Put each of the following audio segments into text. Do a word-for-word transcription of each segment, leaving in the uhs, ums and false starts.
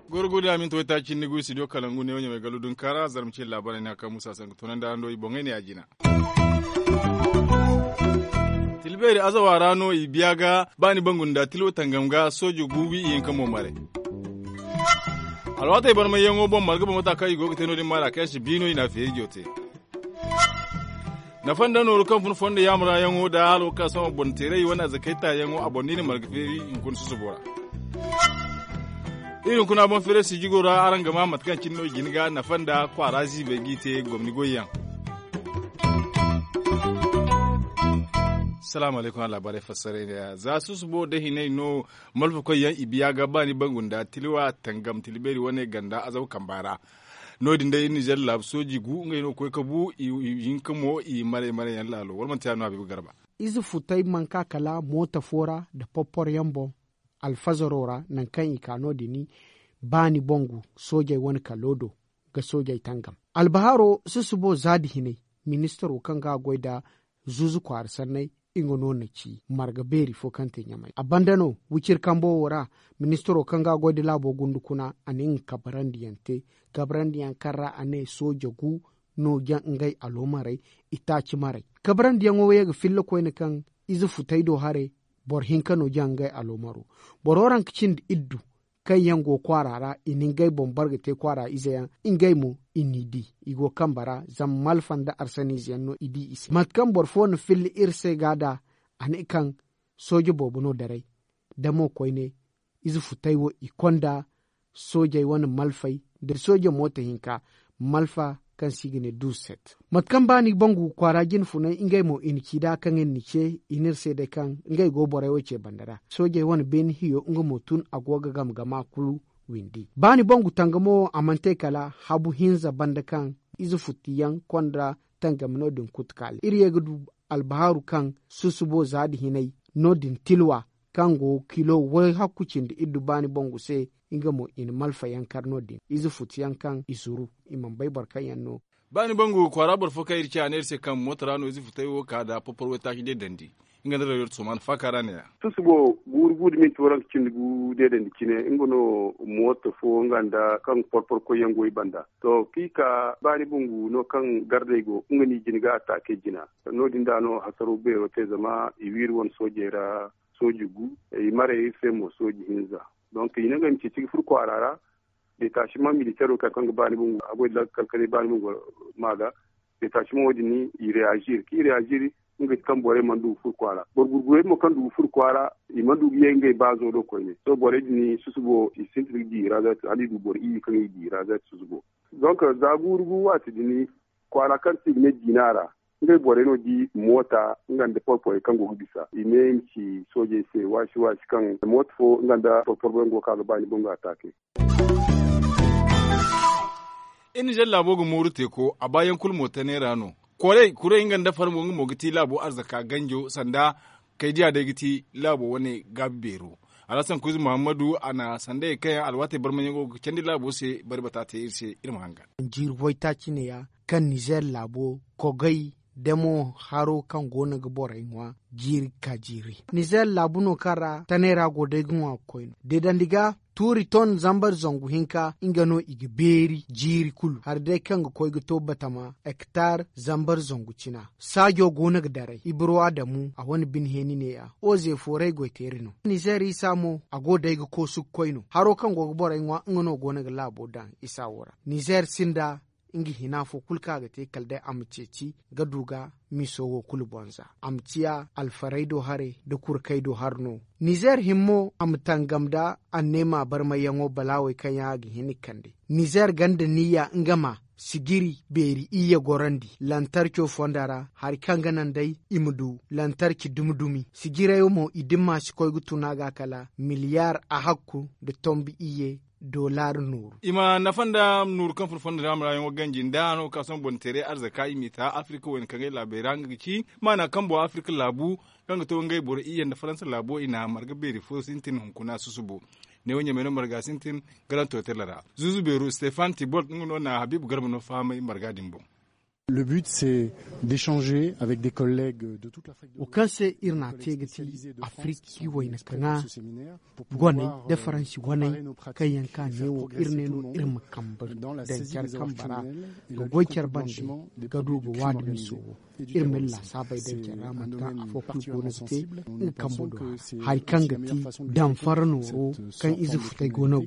Goro godiya minti waytaaci ni gu studio kalangu ne wo ɲamay gallu dunkaara zarma ce laabaarey no a kaŋ musa sanka tunandi araŋ do i boŋey ne a jina. Tilbeeri azawa ra no i biya ga ba ni bangu nda tilo tangam ga soojo guubi i hinka mo maray. Alwaatey barmayyaŋo boŋ marga boŋ mata kaŋ i go ga te no- din maara kaŋ yaŋ si bi no i na feeri jo te. Nafa nda nooru kaŋ fun fondo yaamurayaŋo nda halo kaŋ sohõ boŋ teeray wane arzakaytayaŋo a boŋ da i na marga feeri hunkuna susubo ra. Iri hunkuna boŋ feeray sijigo ra araŋ ga ma mate kaŋ cine no i jin ga nafa nda kwaara ziibay g'i te gomni goyyaŋ. Salaamu alaykum a laabaarey fassaray ne ya za susubo da hinay no. Malfakoy yaŋ i biya ga ba ni bangu nda tiliwa tangam tilibeeri wane ganda azaw kamba ra. No- din day iri nizer laabu sooji gu ngey no ga koy ga bu i hinka mo i maray maray yaŋ laalo wala manti ya no habiibu garba. Ize futay manka kala mooto fo ra nda porpor yaŋ boŋ. Alfazaro ra nangu kaŋ i ka no- din ba ni bangu soojey wane kalo do ga soojey tangam. Albaharo susubo za nda hinay ministaro kaŋ ga a goy nda zuuzu kwaara sanney nga no na ci marga beeri fo kaŋ te ɲamay a banda no wiciri kambo wo ra. Ministaro kaŋ ga a goy nda laabo gundu kuna a na nga kabarandi yaŋ te kabarandi yaŋ kaŋ ra a ne sooja gu no ga ngey aloomarey. Itaaci marey kabarandi yaŋo wo ye ga filla koyne kaŋ ize futay do haray. Boro hinka no ga ngey aloomaro boro ranka cindi iddu kaŋ yaŋ go kwaara ra i na ngey boŋ bare ga te kwaara ize yaŋ. Ngey mo i n'i di i go kambe ra zama malfa nda arsaniize yaŋ no i di i se mate kaŋ boro fo na filla iri se ga da a ne kaŋ sooje boobo no daray. Da mo koyne ize futay wo i konda soojey wane malfey nda sooje mooto hinka malfa kaŋ se i ga ne duuset. Mate kaŋ ba ni bangu kwaara jine funay ngey mo i na ci nd'a kaŋ iri na ce i ne iri se day kaŋ ngey go borey wo ce banda ra soojey wane beene hiyo nga mo tun a go ga gama gama kulu. Windi ba ni bangu tangamo a mana te kala habu hinza banda kaŋ ize futtiyaŋ konda tangami no- din kutukaali iri ye ga du albahaaru kaŋ susubo za nda hinay no- din tilwa kaŋ go kilo way hakku cindi iddu baani bangu se. Nga mo i na malfa yaŋ kar no- din ize futu yaŋ kaŋ i zuru i mana bay boro kaŋ yaŋ no. Baani bangu kwaara boro fo kaŋ iri ci a ne iri se kaŋ mooto ra no ize futay wo ka nda porpor waytaaci deedandi. Nga nda rayo da soman faaka ra ne- ya. Susubo guuru guuru minti waranka cindi gu deedandi cine nga no mooto fo nga nda kaŋ porpor koy yaŋ go i banda. To kaŋ i ka baani bangu no kaŋ gardey go nga no i jina ga ataake jina. No- din da no hasaro beero te zama i wiiri wane soojey ra sooji gu i maray iri se mo sooji hinza. Donk i ne ngey ma ceeci ga furo kwaara ra. Detachement militaire wo kaŋ ga baani bangu a goy da lakkal kanay baani bangu ma ga. Detachement wo- din i reagir kaŋ i reagir nga ti kaŋ borey mana du ga furo kwaara boro gurgurey mo kaŋ du ga furo kwaara. I mana du ga ye ngey baazo do koyne sohõ borey din susubo i sintin ga di i ra za ti hala i du boro iyye kaŋ i di i ra za ti susubo. Donk za guuru gu waati din kwaara kaŋ se i ga ne jiina ra ngey borey no di moota nga nda porporey kaŋ go ga bisa i ne i ma ci soojey se waasi waasi kaŋ moota fo nga nda porpor boyaŋ go ga ka ga baani bangu ataake. Iri nizer laabo ga mooru teeko a baayaŋ kulu mo tane ra no. Koray kuray nga nda farmo nga mo ga ti laabo arzaka ganjo sanda kay diya day ga ti laabo wane gaabi beero. Alhasan kuuzi muhammadu a na sandayey kaŋ yaŋ alwaatey barmayaŋo ga candi laabo se bari bata te iri se iri ma hangan. Jiiri waytaaci ne- ya kaŋ nizer laabo kogay demo haro kaŋ go no ga borey ŋwa jiiri ga ka jiiri nizer laabu no kaŋ ra tanay ra go day ga ŋwa ga koy no deedandi ga tuuri ton zambar zangu hinka nga no i ga beeri jiiri kulu hari day kaŋ ga koy ga to batama hektar zambar zangu cina. Saajo go no ga daray ibiro adamu a wane bine heeni ne- ya oze fooray goyteeri no. Nizer isa mo a go day ga koosu ga koy no haro kaŋ go ga borey ŋwa nga no go no ga laabo daŋ isa wo ra. Nizer sinda nga hina fo kulu kaŋ a ga te kala day a ma ceeci ga du ga miiso wo kulu boŋ za a ma ciya alfarey do haray nda kurkey do hari no. Nizer hima mo a ma tangam nda anneema barmayyaŋo balaawey kaŋ yaŋ a ga hin ga kande. Nizer gonda niyya nga ma sijiri beeri iyye gorandi lantarco fonda ra hari kaŋ ga naŋ day i ma du lantarci dumi dumi sijirey mo i dimma si koy ga tun a ga kala miliyar ahakku nda tombi iyye. Dollar nooru i ma nafa nda nooru kaŋ fun fondo ra marayaŋo ganji nda no ga ka sohõ boŋ teeray arzaka i m'i ta afirika wayna kaŋ ay laabey ra nga ga ci maana kaŋ boŋ afirika laabu kaŋ ga to ngey boro iyye nda faransa laabo i na marga beeri fo sintin hunkuna susubo. Neewo ɲamay no marga sintin garan to tela ra zuuzu beero stefan tibolt nga no na habiibu garba no fahamay marga din boŋ. Le but, c'est d'échanger avec des collègues de toute l'Afrique de l'Ouest, spécialisés de France, qui ont participé à ce séminaire, pour pouvoir, euh, travailler nos pratiques, réussir à tout le monde dans la saisie des avoirs criminels et la lutte contre le blanchiment des produits du crime organisé. Et du terrorisme. C'est un domaine particulièrement sensible. Nous pensons que c'est aussi la meilleure façon de développer cette, ce fonds de solidarité que de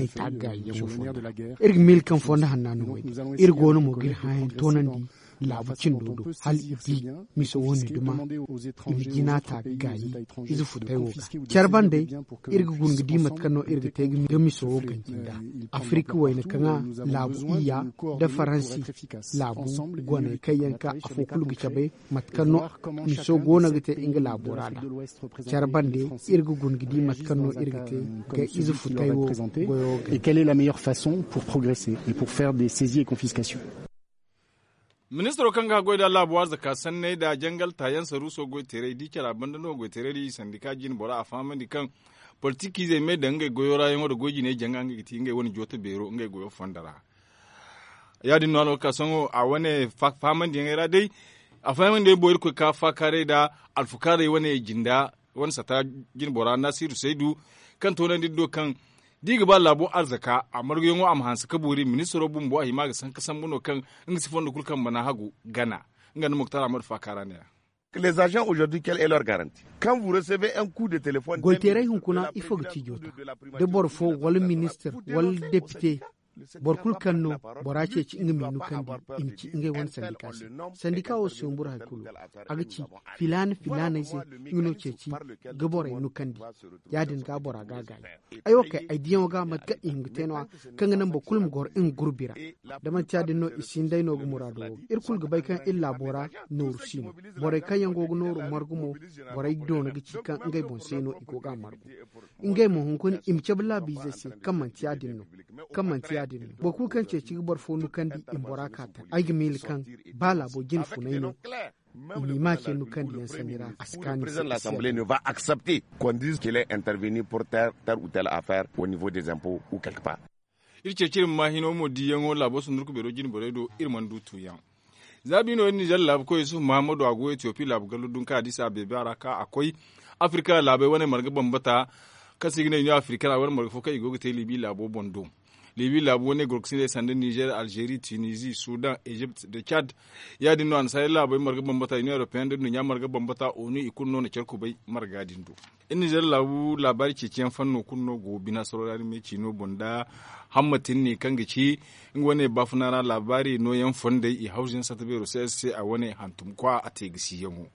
taper, euh, sur le nerf de la guerre. Iri ga miila kaŋ fondo hanna no wo-din. Iri goono mo ga iri hããyaŋ toonandi laabu cindo do hala i di miso wo-ne duma i ma jina ta ga gaayi ize futay wo ga care bande. Iri ga guna ga di mate kaŋ no iri ga te ga miso wo ganji nda afirika wayna kaŋ a laabu iyya nda faransi laabu goney kaŋ yaŋ ka afo kulu ga cabe mate kaŋ no miso goono ga te nga laabo ra da care bande. Iri ga guna ga di mate kaŋ no iri ga te ga ize futay wo goyo ga. Et quelle est la meilleure façon pour progresser et pour faire des saisies et confiscations? Ministaro kaŋ ga goy da laabu arzaka sanney da jangal taayaŋ saruuso goy teeray di care a banda no goy teeray di sandika jine bora a fahamandi kaŋ politikiizey me daŋ ngey goyo ra yaŋo da goy jiney jaŋa ngey ga ti ngey wane jooto beero ngey goyo fonda ra. Ya- din no a no ga ka sohõ a wane fahamandi yaŋey ra day a fahamandi yaŋ boŋ iri koy ka faakaaray da alfukaarey wane jinda wane sata jine bora naasiru saydu kaŋ toonandi iri do kaŋ da i ga ba laabo arzaka a marguyaŋo a ma hanse ka boori ministaro bumbo a hima ga sanka sambu no kaŋ nga si fondo kulu kaŋ mana hagu gana. Nga nda muktar ahmadu faakaara ne ra. Goy teeray hunkuna ifo ga ci joota da boro fo wala ministir wala depite boro kulu kaŋ no bora ceeci nga ma i nukandi i ma ci ngey wane sandika se. Sandika wo si humburu hari kulu a ga ci filaana filaaney se nga no ceeci ga borey nukandi. Ya- din ga bora ga a gaayi ay wo kay ay diyaŋo ga mate kaŋ i hima ga te no- ya kaŋ ga naŋ boro kulu ma goro nga gurbi ra. Da manti ya- din no i si hin day no ga muraado wo ga iri kulu ga bay kaŋ iri laabo ra nooru si no. Borey kaŋ yaŋ go ga nooru margu mo borey doona ga ci kaŋ ngey boŋ se no i go ga a margu. Ngey mo hunkuna i ma cabe laabiizey se kaŋ manti ya- din no. Kaŋ manti ya- din no boro kulu kaŋ ceeci ga boro fo nukandi i ma bora ka taŋ ay ga miila kaŋ ba laabo jine funay no. I m'i ma ce nukandiyaŋ sanni ra a si kaanu i se. L'assemblée ne va accepter qu'on dise qu'il est intervenu pour tel ou tel affaire au niveau des impôts ou quelque part. Iri ceeci iri ma ma hino mo diyaŋo laabo sundurku beero jine borey do iri mana du tuuyaŋ. Za bi no iri nizer laabu koy yusufu mahammadu a go etiyopi laabu gallo dunka a di se a beebe a ra ka a koy afirika laabey wane marga bambata kaŋ se i ga ne union africaine a wane marga fo kaŋ i go ga te libi laabo boŋ do. Libi laabu wane gorkasindey sanda nizer alzeeri tunizi sudan ezipt nda cad. Ya- din no annasaarey laabey marga bambata union europeenne nda duɲɲa marga bambata onu i kulu no na care kubay marga din do. Iri nizer laabu laabaari ceeciyaŋ fanno kulu no go bina saro ra ni me ciino boŋ nda hammatin ne kaŋ ga ci nga wane baafuna ra laabaari nooyaŋ fondey i hawzuyaŋ sata beero se se a wane hantum kwa a te ga si yaŋo.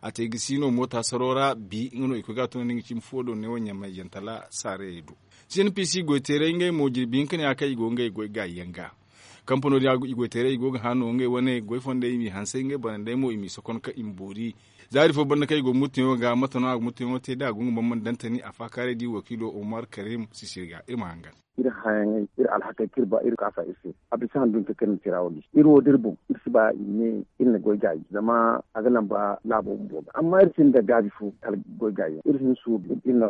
A te ga si no moota saro ra bi nga no i koy ga a tunandi nga cimi fo do neewo ɲamay yantala saarayey do. Cnpc goyteerey ngey mo jirbi hinka ne a kaŋ i go ngey goy gaayi yaŋ ga. Kampano din i goyteerey i go ga hã no ngey wane goy fondey i m'i hansay ngey banandey mo i m'i sokon ka i ma boori. Zaari fo banda kaŋ i go murtuyaŋo ga mate no a ga murtuyaŋo te da a go nga bambam dantani a faakaaray di wakiilo omar karim sisiri ga iri ma hangan. Iri hãyaŋey iri alhakey kaŋ iri ba iri kaasa iri se. A bisa handu hinka kaŋ iri na tira wo di iri wo da iri boŋ iri si ba i ma ne iri na goy gaayi zama a ga lamba laabo bumbo ga amma iri sinda gaabi fo kala goy gaayi yaŋ iri si hin suuru iri na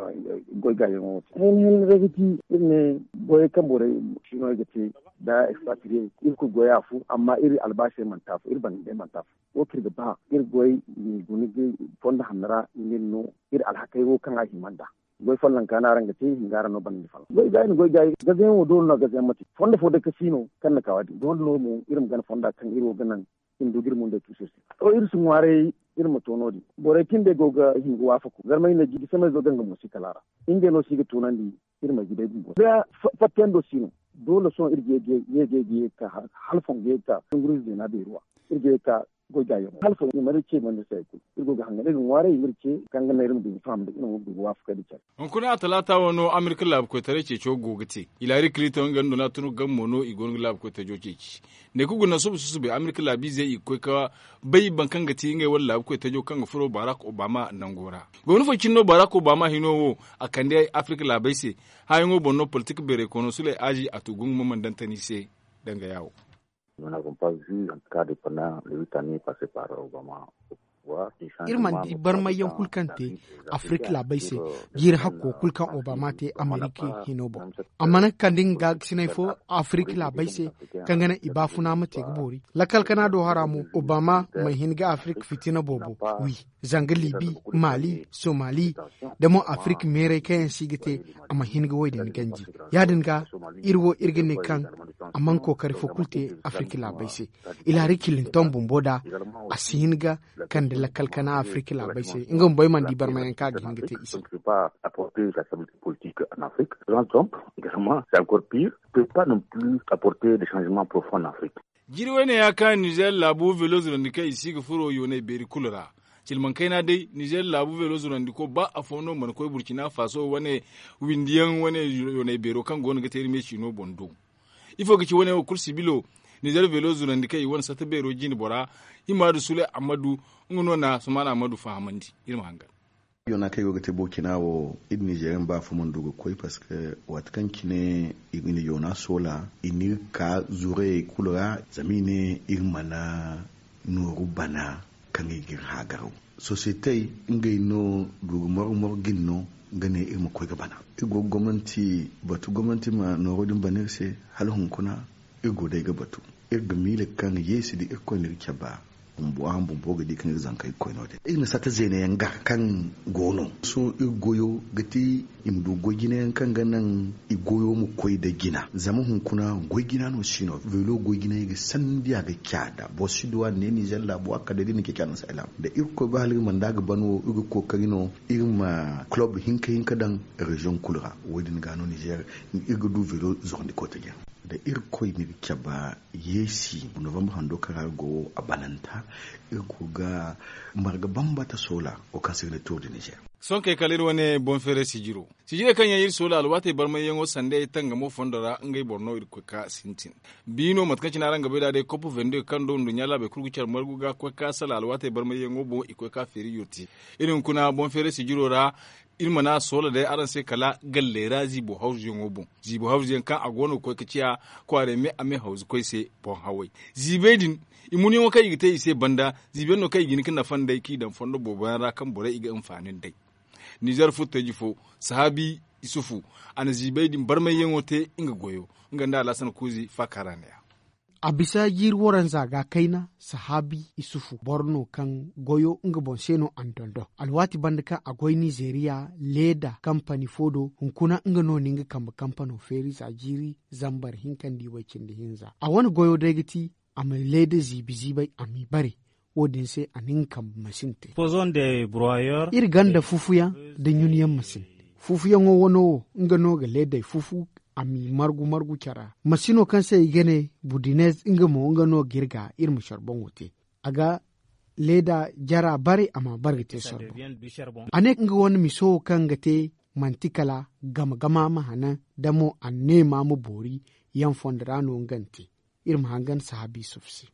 goy gaayi yaŋo wo te hayni hayni ra ga ti iri ne goyey kaŋ borey sino ga te da expatrier iri kulu goy afo amma iri albaasey manti afo iri banda day manti afo wo kaŋ iri ga ba iri goy i ma guna ga fondo hanno ra i ma iri no iri alhakey wo kaŋ a hima nd'a. Goy folloŋ ka no araŋ ga te i ga araŋ no banda folloŋ goy gaayi no goy gaayi gazayaŋo doole no gazayaŋ ma te fondo fo day ka si no kaŋ na ka wo- din doole no mo iri ma gana fonda kaŋ iri wo ga naŋ i ma du ga iri mundey tuusu iri se. To iri si ŋwaaray iri ma to no- din borey kaŋ day go ga hin ga waafaku zarmey ne jiibi samay zo ga nga mo si kala a ra ngey no si ga tunandi iri ma ga day bumbo da fattiyando si no. Doole sohõ iri ga ye ga ye ga ye ga ye ga ka halfoŋ ga ye ga ka tungurize zeena beeri wa iri ga ye ga ka goy gaayaŋo hala fo i mana iri ce mana iri se hari kulu iri go ga hangan iri ga ŋwaaray i ma iri ce kaŋ ga naŋ iri ma du ga faham nda iri ma du ga waafakay nda care. Hunkuna a talaata wano amerika laabu koytaray ceeco go ga te. Hilaari kilito nga nda donald trump game mo no i go no ga laabu koytajo ceeci. Ne ka guna suba susubay amerika laabiizey i ga koy ka bay boro kaŋ ga ti ngey wane laabu koytajo kaŋ ga furo barack obama nango ra. Gomni fo cine no barack obama hino wo a kande afirika laabey se. Hããyaŋo boŋ no politik beeray koono suley aazi a tu gungu ma mana dantani se. Danga yaawo. Nous n'avons pas vu en tout cas de pendant les huit années passées par Obama. Iri mana di barmayyaŋ kulu kaŋ te afirik laabey se, jiiri hakko kulu kaŋ obama te amerika hino boŋ. A mana kande nga ga sinay fo afirik laabey se, kaŋ ga naŋ i baafuna ma te ga boori lakkal kana do hara mo, obama mana hin ga afirik fitina boobo wi, zanga libi, mali, somali, da mo afirik meeray kaŋ yaŋ se i ga te, a mana hin ga wo- din ganji. Ya- din ga, iri wo iri ga ne kaŋ a mana kookari fo kulu te afirik laabey se. Ilari kilinton bumbo da a si hin ga kande lakkal kana afirik laabey se, nga bumbo ay mana di barmayaŋ kaŋ a ga hin ga te i se. Apporter la stabilité politique en Afrique. Donald Trump, également, c'est encore pire, peut pas non plus apporter des changements profonds en Afrique. Jiri wayne ya ka nizer laabu velo zurandi kaŋ i si ga furo yoonay beeri kulu ra. Cilmaŋ kayna day nizer laabu velo zurandi ko ba afo no mana koy burkina faso wane, windiyaŋ wane yoonay beero kaŋ go no ga te iri me ciino boŋ do. Ifo ga ci wane wo kulu sibilo, nizer velo zurandi kaŋ i wane satta beero jine bora, himaadu sule ammadu, nga no na sumaana ammadu fahamandi. Iri ma hangan. Yoona kaŋ i go ga te burkina wo, iri nizeeriyaŋ ba afo mana du ga koy parceque waati kaŋ cine i ga ni yoona soola, i n'iri ka zurayey kulu ra, zama i ne iri mana nooru bana kaŋ i ga iri haagaraw. Sosiyetey, ngey no du ga morgu morgu ga ni no, ga ne iri ma koy ga bana. Iri go ga gomnanti batu gomnanti ma nooro din bana iri se. Hala hunkuna, iri go day ga batu. Iri ga miila kaŋ yeesi da irkoy na iri cabe bumbo araŋ bumbo ga di kaŋ iri zankey koy no- din iri na satta zeena yaŋ gar kaŋ go no. Sohõ iri goyo ga ti i ma du goy jina yaŋ kaŋ ga naŋ i goyo ma koy nda jina. Zama hunkuna goy jina no si no velo goy jina yaŋ ga sandiya ga caada boro si du a ne nizer laabo a kala day da i na ceeci a naŋ si ay laabo da irkoy ba hala iri mana da ga ban wo iri ga kookari no iri ma kulob hinka hinka daŋ reziyoŋ kulu ra. Wo- din ga no nizer iri ga du velo zorandi koy taji yaŋ. Da irkoy na iri cabe yeesi novambar hando kaŋ ra iri go a bananta. Iri go ga marga bambata soola wo kaŋ se i ga ne tour de nizer. Sohõ kay kala iri wane boŋ feeray sijiro sijirey kaŋ yaŋ iri soola alwaatey barmayyaŋo sanda ay tangamo fondo ra ngey boro no iri ga koy ga sintin. Biino mate kaŋ cine araŋ ga bay nd'a day kopo vende kaŋ do nduɲɲa laabey kulu ga care margu ga koy ga sala alwaatey barmayyaŋo boŋ i koy ga feeri yurti. Iri hunkuna boŋ feeray sijiro ra. Iri mana soola day araŋ se kala galley ra ziibo hawzuyaŋo boŋ. Ziibo hawzuyaŋ kaŋ a go no ga koy ga ciya kwaarey me a me hawzu koy se boŋ haway. Ziibey din, i munyaŋo kaŋ i ga te i se banda ziibayaŋ no kaŋ i ga hin ga nafa nd'ey kaŋ i daŋ fondo boobo yaŋ ra kaŋ borey i ga hinfaani nd'ey. Nizer furtaji fo, sahaabi isufu, a na ziibey din barmayyaŋo te nga goyo. Nga nda alhasan kuuzi faakara neeya. A bisa jiiri waranza ga kayna sahaabi isufu boro no kaŋ goyo nga boŋ se no a na dondon alwaati banda kaŋ a goy nizeeriya leeda kampani fo do hunkuna nga no na nga kambe kampano feeri za jiiri zambar hinka nda i way cindi hinza a wane goyo day ga ti a ma leeda ziibi ziibay a m'i bare. Wo- din se a na nga kambe masin te. Iri ganda fufuyaŋ nda ɲunyaŋ masin. Fufuyaŋo wano wo nga no ga leedey fufu a m'i margu margu care ra masino kaŋ se i ga ne budinez nga mo nga no ga iri ga iri ma sorboŋo te. A ga leeda jara bare a ma bare ga te sorboŋ. A ne nga wane miso wo kaŋ ga te manti kala gama gama ma hanan da mo anneema ma boori. Yaŋ fondo ra no nga na te. Iri ma hangan sahaabi yusuf se.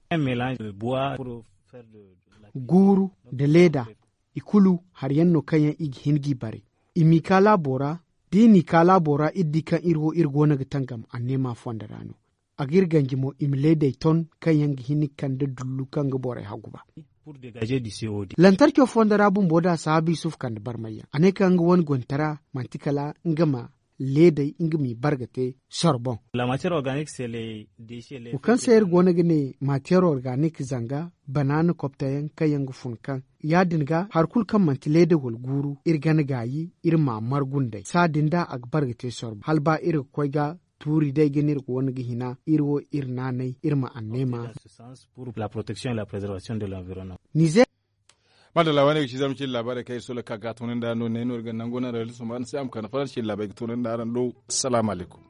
Guuru nda leeda i kulu hari yaŋ no kaŋ yaŋ i ga hin g'i bare. I m'i ka laabo ra da i n'i ka laabo ra iri di kaŋ iri wo iri go no ga tangam anneema fondo ra no. A ga iri ganji mo i ma leedey ton kaŋ yaŋ ga hin ga kande dullu kaŋ ga borey haguba. Lantarco fondo ra bumbo da sahaabi yusuf kande barmayyaŋ a ne kaŋ nga wane gontara manti kala nga ma leedey nga m'i bare ga te soro boŋ. Wo kaŋ se iri go no ga ne matiyeer organik zanga banaana koptayaŋ kaŋ yaŋ ga fun kaŋ ya- din ga hari kulu kaŋ manti leeda wala guuru iri gana gaayi iri m'a margu nd'ey saa din da a ga bare ga te soro boŋ hala ba iri ga koy ga tuuri day ga ne iri ga wane ga hina iri wo iri naanay iri ma anneema. Nizeer. Madalla wane ga ci zama cin laabaarey kaŋ iri solo ka ga tunandi a no ne no iri ga nango naŋ ra iri suma araŋ se a ma kande fara cin laabaarey ga tunandi araŋ do. Salaamu alaykum.